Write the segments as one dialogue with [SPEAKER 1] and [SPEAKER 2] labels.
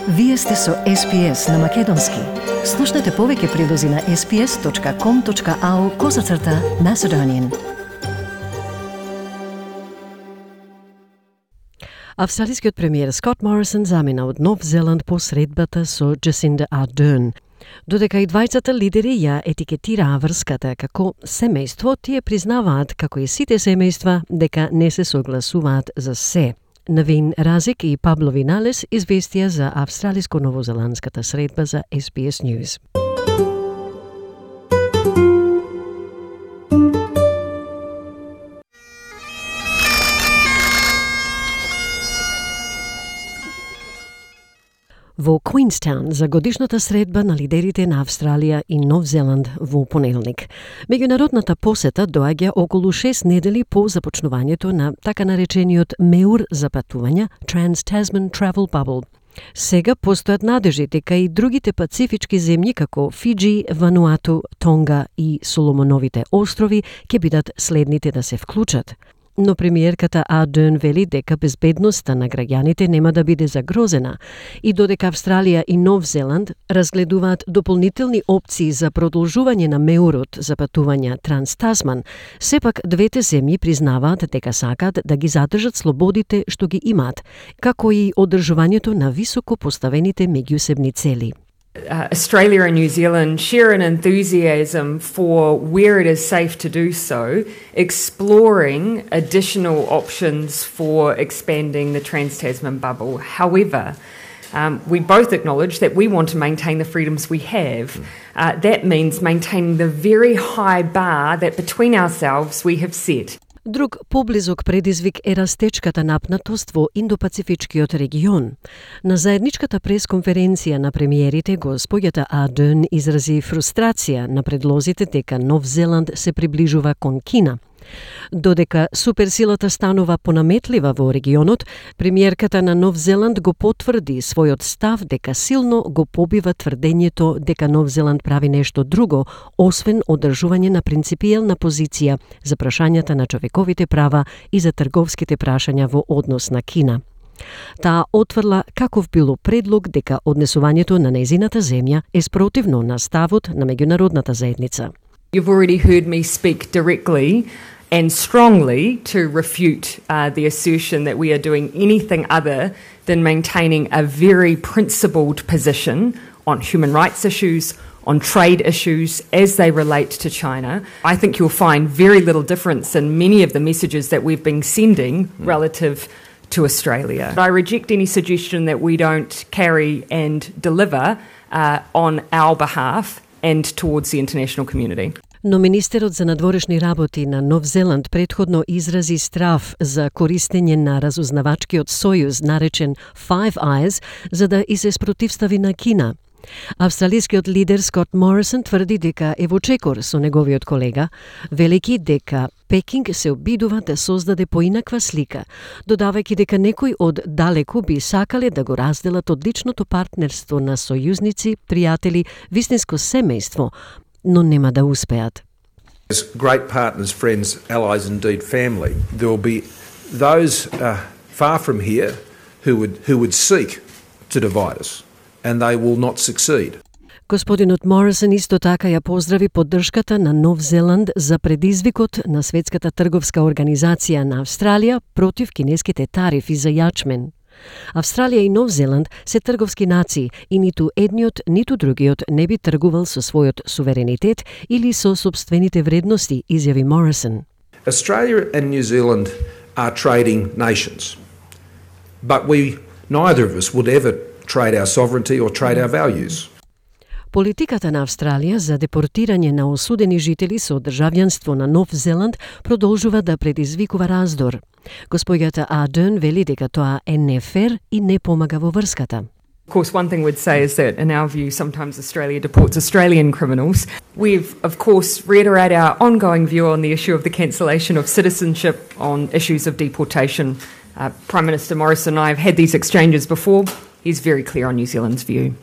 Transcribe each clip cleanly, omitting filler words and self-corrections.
[SPEAKER 1] Вие сте со SPS на Македонски. Слушнете повеќе прилози на sps.com.au/Macedonian. Австралискиот премиер Скот Морисон замина од Нов Зеланд по средбата со Джасинда Ардерн. Додека и двајцата лидери ја етикетираа врската како семејство, тие признаваат, како и сите семејства, дека не се согласуваат за се. Навин Разик и Пабло Виналес известија за австралиско-новозеландската средба за SBS News. Во Queenstown за годишната средба на лидерите на Австралија и Нов Зеланд во понеделник. Меѓународната посета доаѓа околу 6 недели по започнувањето на така наречениот меур за патувања Trans-Tasman Travel Bubble. Сега постојат надежи дека и другите пацифички земји како Фиджи, Вануату, Тонга и Соломоновите острови ќе бидат следните да се вклучат. Но премиерката Ардерн вели дека безбедноста на граѓаните нема да биде загрозена и додека Австралија и Нов Зеланд разгледуваат дополнителни опции за продолжување на меурот за патувања Транс-Тасман, сепак двете земји признаваат дека сакаат да ги задржат слободите што ги имаат, како и одржувањето на високо поставените меѓусебни цели.
[SPEAKER 2] Australia and New Zealand share an enthusiasm for where it is safe to do so, exploring additional options for expanding the Trans-Tasman bubble. However, we both acknowledge that we want to maintain the freedoms we have. That means maintaining the very high bar that between ourselves we have set.
[SPEAKER 1] Друг поблизок предизвик е растечката напнатост во Индо-Пацифичкиот регион. На заедничката пресконференција на премиерите, госпоѓата Ардерн изрази фрустрација на предлозите дека Нов Зеланд се приближува кон Кина. Додека суперсилата станува понаметлива во регионот, премиерката на Нов Зеланд го потврди својот став дека силно го побива тврдењето дека Нов Зеланд прави нешто друго, освен одржување на принципиелна позиција за прашањата на човековите права и за трговските прашања во однос на Кина. Таа отврла каков било предлог дека однесувањето на нејзината земја е спротивно на ставот на меѓународната заедница.
[SPEAKER 2] You've already heard me speak directly and strongly to refute the assertion that we are doing anything other than maintaining a very principled position on human rights issues, on trade issues as they relate to China. I think you'll find very little difference in many of the messages that we've been sending relative to Australia. I reject any suggestion that we don't carry and deliver on our behalf and towards the international community.
[SPEAKER 1] Но министерот за надворешни работи на Нов Зеланд претходно изрази страв за користење на разузнавачкиот сојуз наречен Five Eyes за да и се спротивстави на Кина. Австралискиот лидер Скот Морисон тврди дека е во чекор со неговиот колега, велики дека Пекинг се обидува да создаде поинаква слика, додавајќи дека некои од далеку би сакале да го разделат одличното партнерство на сојузници, пријатели, вистинско семејство, но нема да успеат.
[SPEAKER 3] As great partners, friends, allies, indeed family, there will be those far from here who would seek to divide us, and they will not succeed.
[SPEAKER 1] Господинот Морисон исто така ја поздрави поддршката на Нов Зеланд за предизвикот на Светската трговска организација на Австралија против кинеските тарифи за јачмен. Австралија и Нов Зеланд се трговски нации и ниту едниот, ниту другиот не би тргувал со својот суверенитет или со собствените вредности, изјави Морисон.
[SPEAKER 3] Australia and New Zealand are trading nations, but neither of us would ever trade our sovereignty or trade our values.
[SPEAKER 1] Политиката на Австралија за депортирање на осудени жители со државјанство на Нов Зеланд продолжува да предизвикува раздор. Госпоѓата Ардерн вели дека тоа е нефер и не помага во врската.
[SPEAKER 2] Of course, one thing we'd say is that, in our view, sometimes Australia deports Australian criminals. We've, of course, reiterate our ongoing view on the issue of the cancellation of citizenship, on issues of deportation. Prime Minister Morrison and I have had these exchanges before. He's very clear on New Zealand's view.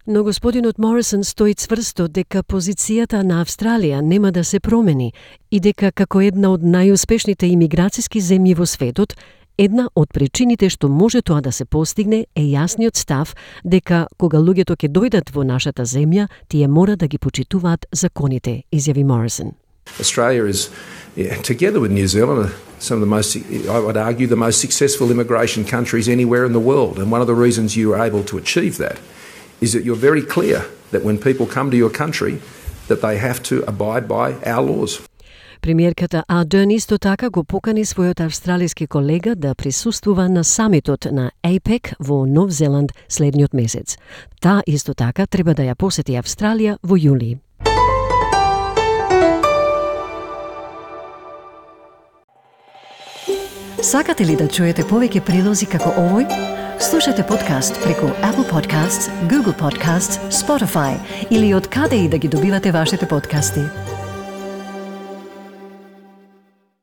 [SPEAKER 1] Но господинот Морисон стои цврсто дека позицијата на Австралија нема да се промени и дека како една од најуспешните имиграцијски земји во светот, Една од причините што може тоа да се постигне е јасниот став дека кога луѓето ќе дојдат во нашата земја, тие мора да ги почитуваат законите, изјави Морисон.
[SPEAKER 3] Australia is, together with New Zealand, some of the most, I would argue, the most successful immigration countries anywhere in the world. And one of the reasons you are able to achieve that is that you're very clear that when people come to your country, that they have to abide by our laws.
[SPEAKER 1] Премиерката Ардерн исто така го покани својот австралиски колега да присуствува на самитот на APEC во Нов Зеланд следниот месец. Таа исто така треба да ја посети Австралија во јули. Сакате ли да чуете повеќе прилози како овој? Слушате подкаст преку Apple Podcasts, Google Podcasts, Spotify или од каде и да ги добивате вашите подкасти.